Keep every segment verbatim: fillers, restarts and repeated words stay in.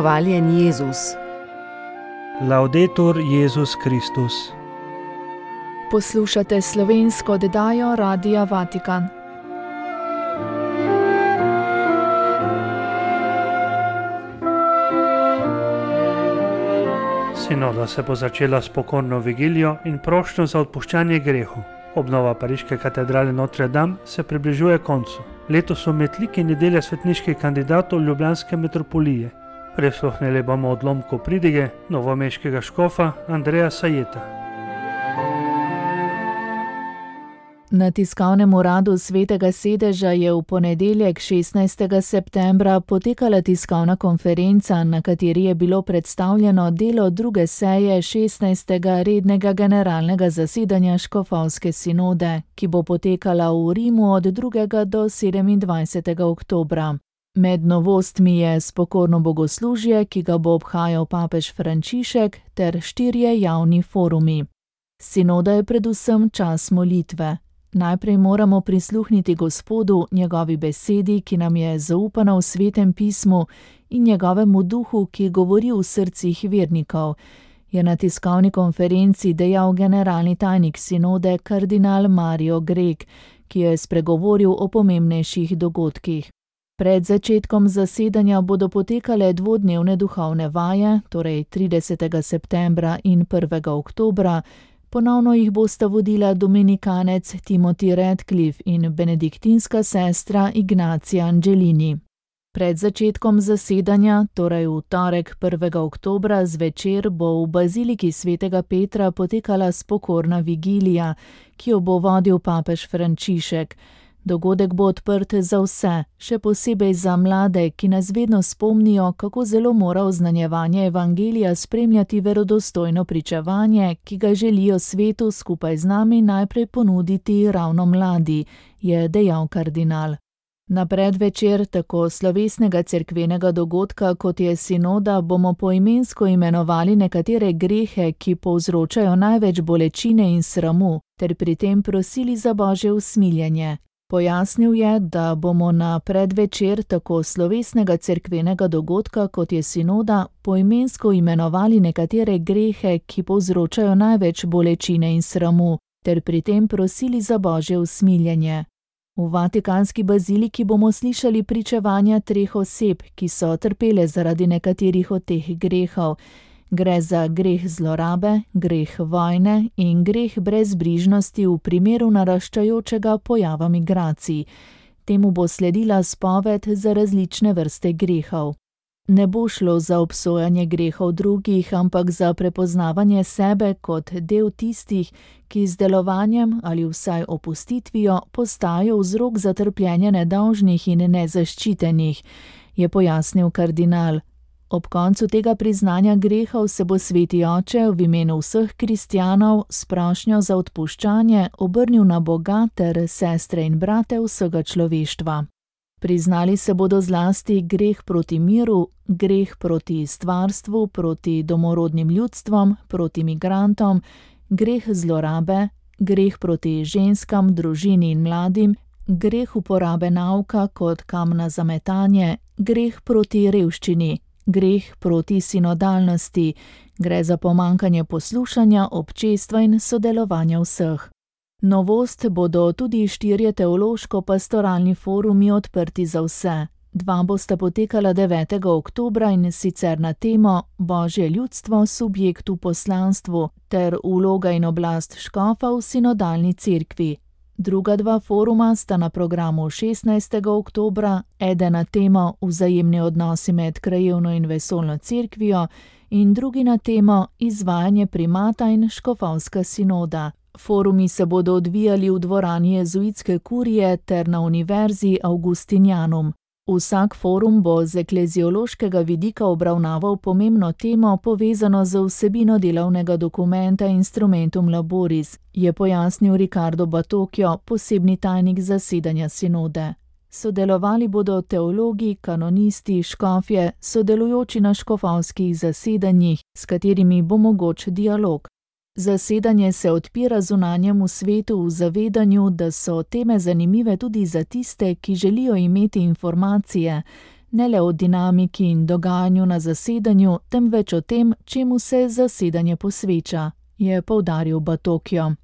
Hvaljen Jezus. Laudetur Jezus Kristus. Poslušate slovensko oddajo Radia Vatikan. Sinoda se bo začela s pokorno vigilijo in prošnjo za odpuščanje grehov. Obnova pariške katedrale Notre Dame se približuje koncu. Letos so med liki nedelje svetniških kandidatov ljubljanske metropolije. Prisluhnili bomo odlomku pridige novomeškega škofa Andreja Sajeta. Na tiskovnem uradu Svetega sedeža je v ponedeljek šestnajstega septembra potekala tiskovna konferenca, na kateri je bilo predstavljeno delo druge seje šestnajstega rednega generalnega zasedanja škofovske sinode, ki bo potekala v Rimu od drugega do sedemindvajsetega oktobra. Med novostmi je spokorno bogoslužje, ki ga bo obhajal papež Frančišek, ter štirje javni forumi. Sinoda je predvsem čas molitve. Najprej moramo prisluhniti Gospodu, njegovi besedi, ki nam je zaupana v Svetem pismu, in njegovemu duhu, ki govori v srcih vernikov, je na tiskovni konferenci dejal generalni tajnik sinode kardinal Mario Grek, ki je spregovoril o pomembnejših dogodkih. Pred začetkom zasedanja bodo potekale dvodnevne duhovne vaje, torej tridesetega septembra in prvega oktobra, ponovno jih bosta vodila dominikanec Timothy Radcliffe in benediktinska sestra Ignacia Angelini. Pred začetkom zasedanja, torej v torek prvega oktobra zvečer, bo v baziliki svetega Petra potekala spokorna vigilija, ki jo bo vodil papež Frančišek. Dogodek bo odprt za vse, še posebej za mlade, ki nas vedno spomnijo, kako zelo mora oznanjevanje evangelija spremljati verodostojno pričevanje, ki ga želijo svetu skupaj z nami najprej ponuditi ravno mladi, je dejal kardinal. Na predvečer tako slovesnega cerkvenega dogodka, kot je sinoda, bomo poimensko imenovali nekatere grehe, ki povzročajo največ bolečine in sramu, ter pri tem prosili za Božje usmiljenje. Pojasnil je, da bomo na predvečer tako slovesnega cerkvenega dogodka, kot je sinoda, poimensko imenovali nekatere grehe, ki povzročajo največ bolečine in sramu, ter pri tem prosili za Božje usmiljenje. V vatikanski baziliki bomo slišali pričevanja treh oseb, ki so trpele zaradi nekaterih od teh grehov. Gre za greh zlorabe, greh vojne in greh brezbrižnosti v primeru naraščajočega pojava migracij. Temu bo sledila spoved za različne vrste grehov. Ne bo šlo za obsojanje grehov drugih, ampak za prepoznavanje sebe kot del tistih, ki z delovanjem ali vsaj opustitvijo postajajo vzrok za trpljenje nedolžnih in nezaščitenih, je pojasnil kardinal. Ob koncu tega priznanja grehov se bo Sveti Oče v imenu vseh kristjanov s prošnjo za odpuščanje obrnil na Boga ter sestre in brate vsega človeštva. Priznali se bodo zlasti greh proti miru, greh proti stvarstvu, proti domorodnim ljudstvom, proti migrantom, greh zlorabe, greh proti ženskam, družini in mladim, greh uporabe nauka kot kamna za metanje, greh proti revščini, greh proti sinodalnosti, gre za pomanjkanje poslušanja, občestva in sodelovanja vseh. Novost bodo tudi štirje teološko-pastoralni forumi odprti za vse. Dva bosta potekala devetega oktobra in sicer na temo Božje ljudstvo, subjekt v poslanstvu ter vloga in oblast škofa v sinodalni cerkvi. Druga dva foruma sta na programu šestnajstega oktobra, eden na temo Vzajemni odnosi med krajevno in vesoljno cerkvijo in drugi na temo Izvajanje primata in škofovska sinoda. Forumi se bodo odvijali v dvorani jezuitske kurije ter na univerzi Augustinianum. Vsak forum bo z ekleziološkega vidika obravnaval pomembno temo povezano z vsebino delovnega dokumenta Instrumentum Laboris, je pojasnil Ricardo Batocchio, posebni tajnik zasedanja sinode. Sodelovali bodo teologi, kanonisti, škofje, sodelujoči na škofovskih zasedanjih, s katerimi bo mogoč dialog. Zasedanje se odpira zunanjemu svetu v zavedanju, da so teme zanimive tudi za tiste, ki želijo imeti informacije, ne le o dinamiki in dogajanju na zasedanju, temveč o tem, čemu se zasedanje posveča, je poudaril Batocchio.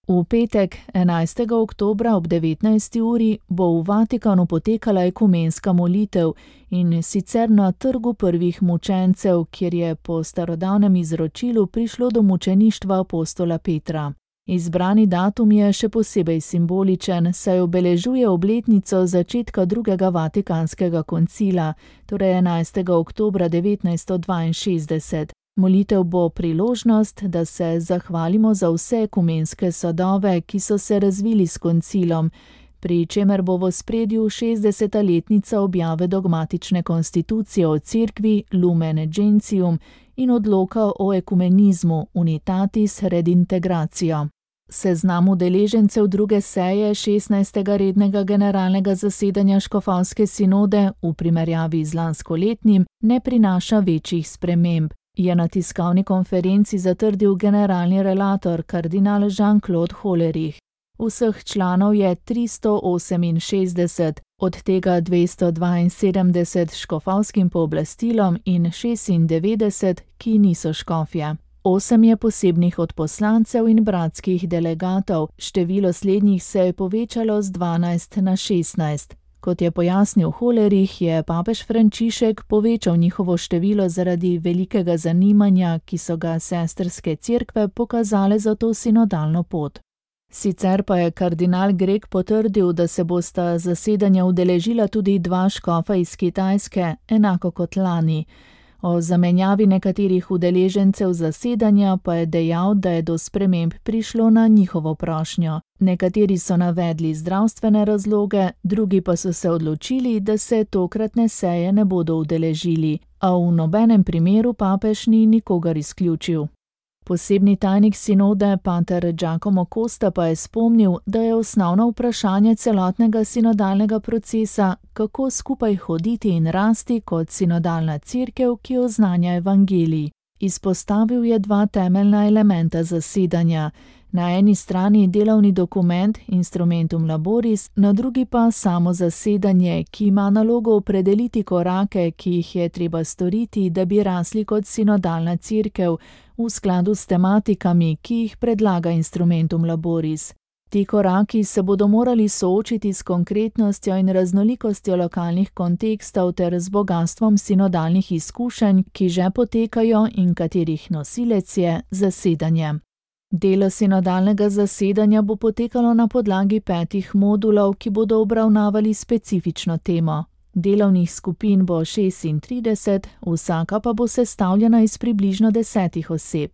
V petek, enajstega oktobra ob devetnajsti uri, bo v Vatikanu potekala ekumenska molitev, in sicer na trgu prvih mučencev, kjer je po starodavnem izročilu prišlo do mučeništva apostola Petra. Izbrani datum je še posebej simboličen, saj obeležuje obletnico začetka drugega vatikanskega koncila, torej enajstega oktobra devetnajststo dvainšestdeset. Molitev bo priložnost, da se zahvalimo za vse ekumenske sadove, ki so se razvili s koncilom, pri čemer bo v ospredju šestdeseta letnica objave dogmatične konstitucije o cerkvi Lumen Gentium in odloka o ekumenizmu Unitatis Redintegratio. Seznam udeležencev druge seje šestnajstega rednega generalnega zasedanja škofovske sinode v primerjavi z lanskoletnim ne prinaša večjih sprememb, je na tiskovni konferenci zatrdil generalni relator kardinal Jean-Claude Hollerich. Vseh članov je tristo oseminšestdeset, od tega dvesto dvainsedemdeset s škofovskim pooblastilom in šestindevetdeset, ki niso škofje. Osem je posebnih odposlancev in bratskih delegatov, število slednjih se je povečalo z dvanajst na šestnajst. Kot je pojasnil Hollerich, je papež Frančišek povečal njihovo število zaradi velikega zanimanja, ki so ga sestrske cerkve pokazale za to sinodalno pot. Sicer pa je kardinal Greg potrdil, da se bosta zasedanja udeležila tudi dva škofa iz Kitajske, enako kot lani. O zamenjavi nekaterih udeležencev zasedanja pa je dejal, da je do sprememb prišlo na njihovo prošnjo. Nekateri so navedli zdravstvene razloge, drugi pa so se odločili, da se tokratne seje ne bodo udeležili, a v nobenem primeru papež ni nikogar izključil. Posebni tajnik sinode, pater Giacomo Costa, pa je spomnil, da je osnovno vprašanje celotnega sinodalnega procesa, kako skupaj hoditi in rasti kot sinodalna cerkev, ki oznanja evangelij. Izpostavil je dva temeljna elementa zasedanja. Na eni strani delovni dokument Instrumentum Laboris, na drugi pa samo zasedanje, ki ima nalogo opredeliti korake, ki jih je treba storiti, da bi rasli kot sinodalna cerkev, v skladu s tematikami, ki jih predlaga Instrumentum Laboris. Ti koraki se bodo morali soočiti s konkretnostjo in raznolikostjo lokalnih kontekstov ter z bogastvom sinodalnih izkušenj, ki že potekajo in katerih nosilec je zasedanje. Delo sinodalnega zasedanja bo potekalo na podlagi petih modulov, ki bodo obravnavali specifično temo. Delovnih skupin bo šestintrideset, vsaka pa bo sestavljena iz približno desetih oseb.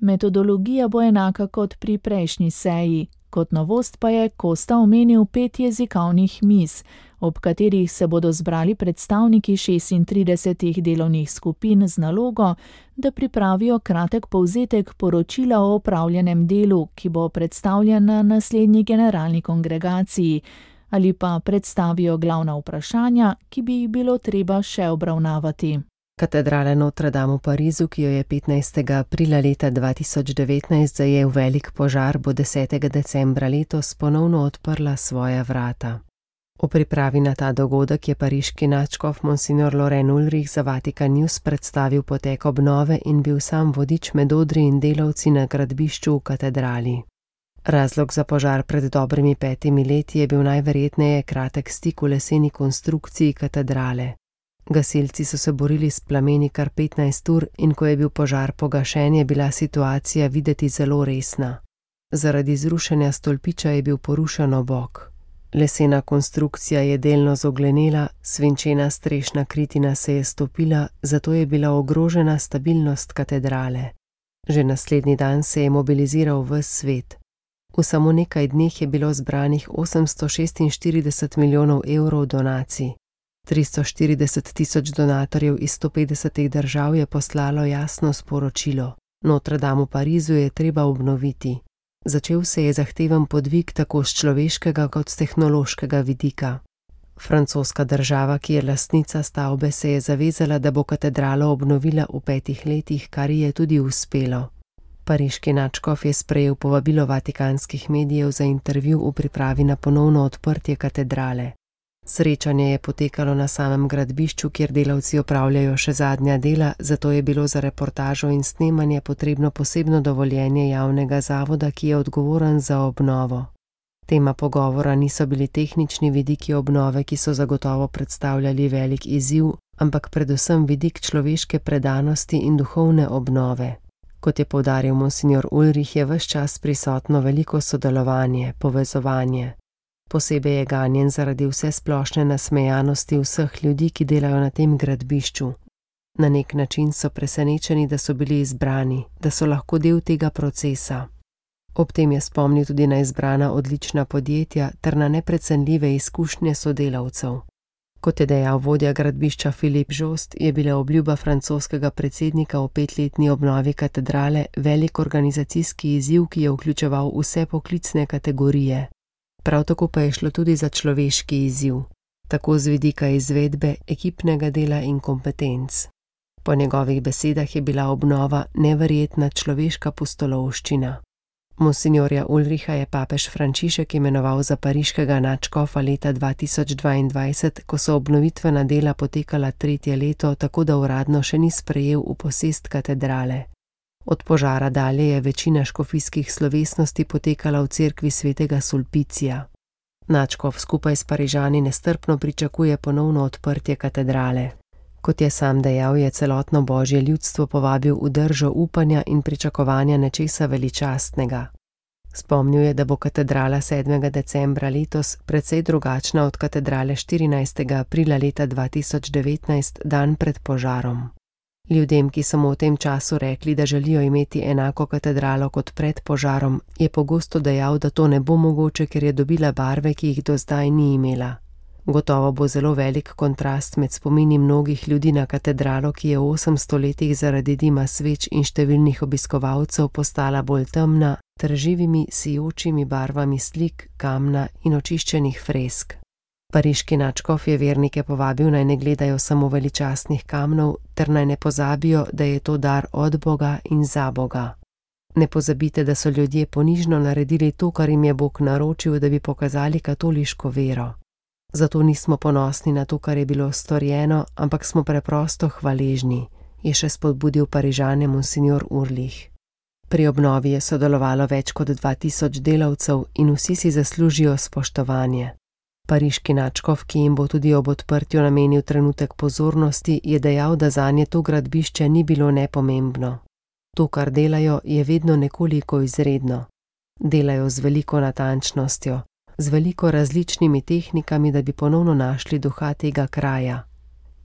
Metodologija bo enaka kot pri prejšnji seji. Kot novost pa je Costa omenil pet jezikovnih miz, ob katerih se bodo zbrali predstavniki šestintridesetih delovnih skupin z nalogo, da pripravijo kratek povzetek poročila o opravljenem delu, ki bo predstavljen na naslednji generalni kongregaciji, ali pa predstavijo glavna vprašanja, ki bi jih bilo treba še obravnavati. Katedrala Notre Dame v Parizu, ki jo je petnajstega aprila leta dva tisoč devetnajst zajel velik požar, bo desetega decembra letos ponovno odprla svoja vrata. V pripravi na ta dogodek je pariški nadškof monsignor Loren Ulrich za Vatikan News predstavil potek obnove in bil sam vodič med odri in delavci na gradbišču v katedrali. Razlog za požar pred dobrimi petimi leti je bil najverjetneje kratek stik v leseni konstrukciji katedrale. Gasilci so se borili s plameni kar petnajst ur in ko je bil požar pogašen, je bila situacija videti zelo resna. Zaradi zrušenja stolpiča je bil porušen obok. Lesena konstrukcija je delno zoglenela, svinčena strešna kritina se je stopila, zato je bila ogrožena stabilnost katedrale. Že naslednji dan se je mobiliziral ves svet. V samo nekaj dneh je bilo zbranih osemsto šestinštirideset milijonov evrov donacij. tristo štirideset tisoč donatorjev iz sto petdesetih držav je poslalo jasno sporočilo. Notre Dame v Parizu je treba obnoviti. Začel se je zahteven podvig tako z človeškega kot z tehnološkega vidika. Francoska država, ki je lastnica stavbe, se je zavezala, da bo katedralo obnovila v petih letih, kar ji je tudi uspelo. Pariški nadškof je sprejel povabilo vatikanskih medijev za intervju v pripravi na ponovno odprtje katedrale. Srečanje je potekalo na samem gradbišču, kjer delavci opravljajo še zadnja dela, zato je bilo za reportažo in snemanje potrebno posebno dovoljenje javnega zavoda, ki je odgovoren za obnovo. Tema pogovora niso bili tehnični vidiki obnove, ki so zagotovo predstavljali velik izziv, ampak predvsem vidik človeške predanosti in duhovne obnove. Kot je poudaril monsignor Ulrih, je ves čas prisotno veliko sodelovanje, povezovanje. Posebej je ganjen zaradi vse splošne nasmejanosti vseh ljudi, ki delajo na tem gradbišču. Na nek način so presenečeni, da so bili izbrani, da so lahko del tega procesa. Ob tem je spomnil tudi na izbrana odlična podjetja ter na neprecenljive izkušnje sodelavcev. Kot je dejal vodja gradbišča Filip Jost, je bila obljuba francoskega predsednika o petletni obnovi katedrale velik organizacijski izziv, ki je vključeval vse poklicne kategorije. Prav tako pa je šlo tudi za človeški izziv, tako z vidika izvedbe, ekipnega dela in kompetenc. Po njegovih besedah je bila obnova neverjetna človeška pustolovščina. Monsignorja Ulriha je papež Frančišek imenoval za pariškega nadškofa leta dva tisoč dvaindvajset, ko so obnovitvena dela potekala tretje leto, tako da uradno še ni sprejel v posest katedrale. Od požara dalje je večina škofijskih slovesnosti potekala v cerkvi svetega Sulpicija. Nadškof skupaj s Parižani nestrpno pričakuje ponovno odprtje katedrale. Kot je sam dejal, je celotno božje ljudstvo povabil v držo upanja in pričakovanja nečesa veličastnega. Spomnil je, da bo katedrala sedmega decembra letos precej drugačna od katedrale štirinajstega aprila leta dva tisoč devetnajst, dan pred požarom. Ljudem, ki so mu v tem času rekli, da želijo imeti enako katedralo kot pred požarom, je pogosto dejal, da to ne bo mogoče, ker je dobila barve, ki jih do zdaj ni imela. Gotovo bo zelo velik kontrast med spomini mnogih ljudi na katedralo, ki je v osemsto letih zaradi dima sveč in številnih obiskovalcev postala bolj temna, ter živimi, sijočimi barvami slik, kamna in očiščenih fresk. Pariški nadškof je vernike povabil, naj ne gledajo samo veličastnih kamnov, ter naj ne pozabijo, da je to dar od Boga in za Boga. Ne pozabite, da so ljudje ponižno naredili to, kar jim je Bog naročil, da bi pokazali katoliško vero. Zato nismo ponosni na to, kar je bilo storjeno, ampak smo preprosto hvaležni, je še spodbudil Parižane monsignor Ulrih. Pri obnovi je sodelovalo več kot dva tisoč delavcev in vsi si zaslužijo spoštovanje. Pariški nadškof, ki jim bo tudi ob odprtju namenil trenutek pozornosti, je dejal, da zanje to gradbišče ni bilo nepomembno. To, kar delajo, je vedno nekoliko izredno. Delajo z veliko natančnostjo, z veliko različnimi tehnikami, da bi ponovno našli duha tega kraja.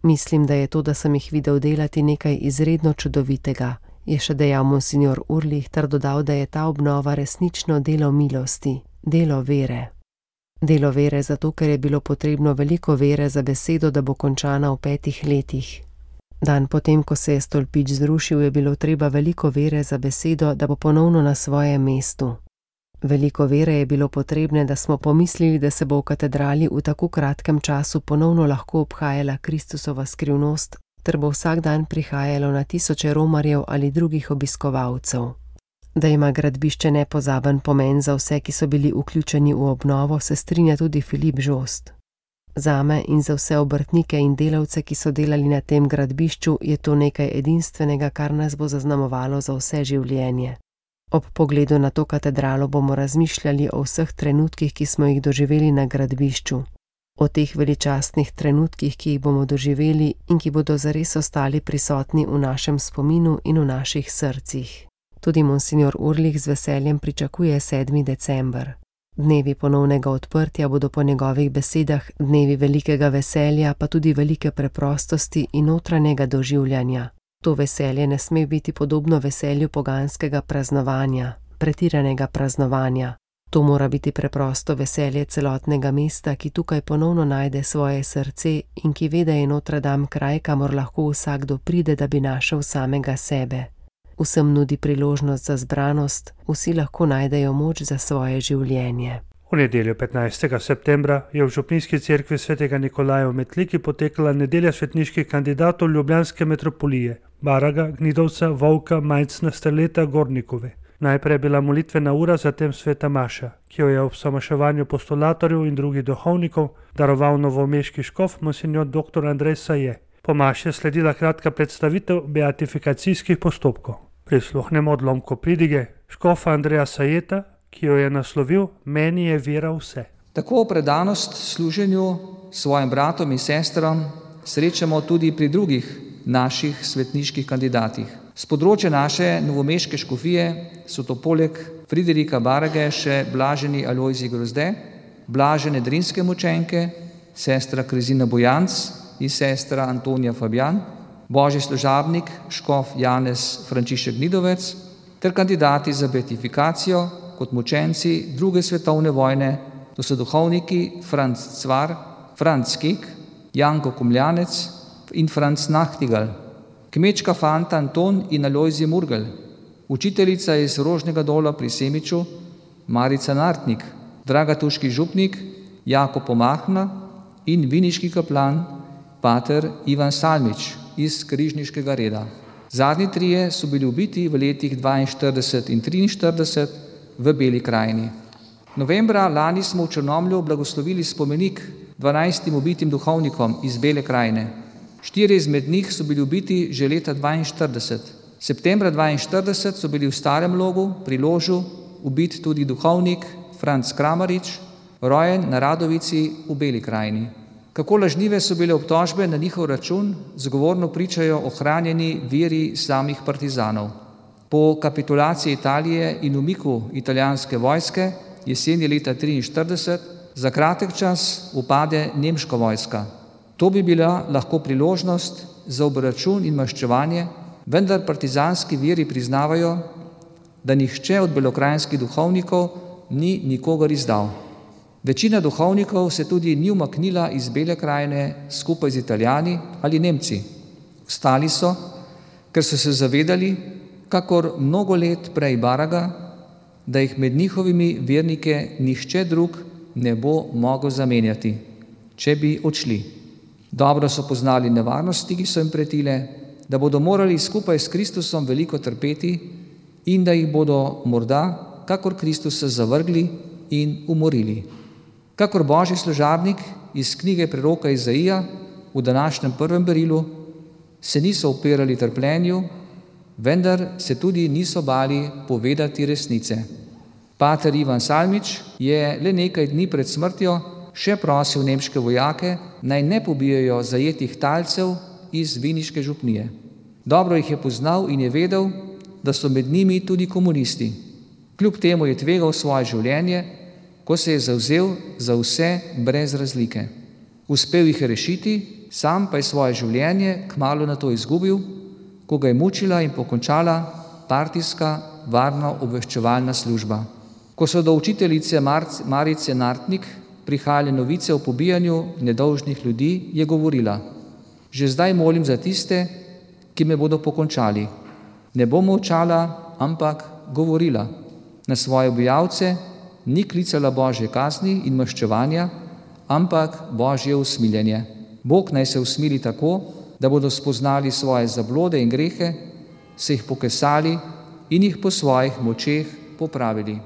Mislim, da je to, da sem jih videl delati, nekaj izredno čudovitega, je še dejal monsignor Ulrih ter dodal, da je ta obnova resnično delo milosti, delo vere. Delo vere zato, ker je bilo potrebno veliko vere za besedo, da bo končana v petih letih. Dan potem, ko se je stolpič zrušil, je bilo treba veliko vere za besedo, da bo ponovno na svojem mestu. Veliko vere je bilo potrebne, da smo pomislili, da se bo v katedrali v tako kratkem času ponovno lahko obhajala Kristusova skrivnost, ter bo vsak dan prihajalo na tisoče romarjev ali drugih obiskovalcev. Da ima gradbišče nepozaben pomen za vse, ki so bili vključeni v obnovo, se strinja tudi Filip Jost. Zame in za vse obrtnike in delavce, ki so delali na tem gradbišču, je to nekaj edinstvenega, kar nas bo zaznamovalo za vse življenje. Ob pogledu na to katedralo bomo razmišljali o vseh trenutkih, ki smo jih doživeli na gradbišču. O teh veličastnih trenutkih, ki jih bomo doživeli in ki bodo zares ostali prisotni v našem spominu in v naših srcih. Tudi monsignor Ulrih z veseljem pričakuje sedmi december. Dnevi ponovnega odprtja bodo po njegovih besedah dnevi velikega veselja, pa tudi velike preprostosti in notranjega doživljanja. To veselje ne sme biti podobno veselju poganskega praznovanja, pretiranega praznovanja. To mora biti preprosto veselje celotnega mesta, ki tukaj ponovno najde svoje srce in ki ve, da je Notre Dame kraj, kamor lahko vsakdo pride, da bi našel samega sebe. Vsem nudi priložnost za zbranost, vsi lahko najdejo moč za svoje življenje. V nedeljo petnajstega septembra je v župnijski cerkvi svetega Nikolaja v Metliki potekala nedelja svetniških kandidatov ljubljanske metropolije, Baraga, Gnidovca, Volka, Majcna, Strleta, Gornikove. Najprej je bila molitvena ura, zatem sveta maša, ki jo je ob samaševanju postulatorjev in drugih duhovnikov daroval novomeški škof monsinjor doktor Andrej Saje. Po maši je sledila kratka predstavitev beatifikacijskih postopkov. Prisluhnemo odlomku pridige škofa Andreja Sajeta, ki jo je naslovil Meni je vera vse. Tako predanost služenju svojim bratom in sestram srečamo tudi pri drugih naših svetniških kandidatih. Z področja naše novomeške škofije so to poleg Friderika Barage še blaženi Alojzij Grozde, blažene drinske mučenke, sestra Krezina Bojanc in sestra Antonija Fabjan, božji služabnik škof Janez Frančišek Nidovec ter kandidati za beatifikacijo kot mučenci druge svetovne vojne, to so duhovniki Franc Cvar, Franc Kek, Janko Komljanec in Franc Nachtigal, kmečka fanta Anton in Alojzij Murgel, učiteljica iz Rožnega dola pri Semiču Marica Nartnik, dragatuški župnik Jakob Pomahna in viniški kaplan pater Ivan Salmič iz križniškega reda. Zadnji trije so bili ubiti v letih dvainštirideset in triinštirideset v Beli krajini. Novembra lani smo v Črnomlju blagoslovili spomenik dvanajstim ubitim duhovnikom iz Bele krajine. Štirje izmed njih so bili ubiti že leta dvainštirideset. Septembra dvainštirideset so bili v Starem Logu pri Ložu ubit tudi duhovnik Franc Kramarič, rojen na Radovici v Beli krajini. Kako lažnive so bile obtožbe na njihov račun, zgovorno pričajo ohranjeni veri samih partizanov. Po kapitulaciji Italije in umiku italijanske vojske jeseni leta triinštirideset za kratek čas upade nemška vojska. To bi bila lahko priložnost za obračun in maščevanje, vendar partizanski viri priznavajo, da nihče od belokranjskih duhovnikov ni nikogar izdal. Večina duhovnikov se tudi ni umaknila iz Bele krajine skupaj z Italijani ali Nemci. Ostali so, ker so se zavedali, kakor mnogo let prej Baraga, da jih med njihovimi vernike nihče drug ne bo mogel zamenjati, če bi odšli. Dobro so poznali nevarnosti, ki so jim pretile, da bodo morali skupaj s Kristusom veliko trpeti in da jih bodo morda, kakor Kristusa, zavrgli in umorili. Kakor božji služabnik iz knjige preroka Izaija v današnjem prvem berilu, se niso upirali trpljenju, vendar se tudi niso bali povedati resnice. Pater Ivan Salmič je le nekaj dni pred smrtjo še prosil nemške vojake, naj ne pobijajo zajetih talcev iz viniške župnije. Dobro jih je poznal in je vedel, da so med njimi tudi komunisti. Kljub temu je tvegal svoje življenje, ko se je zavzel za vse brez razlike. Uspel jih je rešiti, sam pa je svoje življenje kmalu na to izgubil, ko ga je mučila in pokončala partijska varno obveščevalna služba. Ko so do učiteljice Marice Nartnik prihajale novice o pobijanju nedolžnih ljudi, je govorila: že zdaj molim za tiste, ki me bodo pokončali. Ne bom molčala, ampak govorila. Na svoje objavce ni klicala božje kazni in maščevanja, ampak božje usmiljenje. Bog naj se usmili tako, da bodo spoznali svoje zablode in grehe, se jih pokesali in jih po svojih močeh popravili.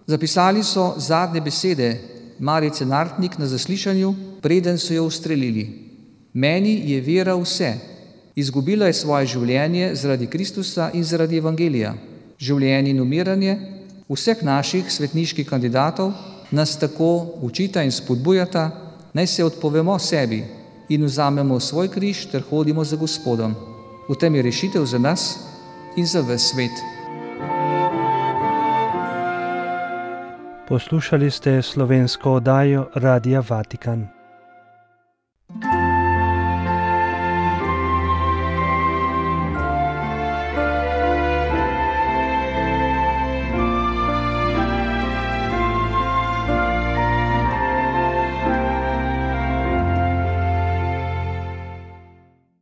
Zapisali so zadnje besede Marice Nartnik na zaslišanju, preden so jo ustrelili. Meni je vera vse. Izgubila je svoje življenje zaradi Kristusa in zaradi evangelija. Življenje in umiranje vseh naših svetniških kandidatov nas tako učita in spodbujata, naj se odpovemo sebi in vzamemo svoj križ ter hodimo za Gospodom. V tem je rešitev za nas in za ves svet. Poslušali ste slovensko oddajo Radia Vatikan.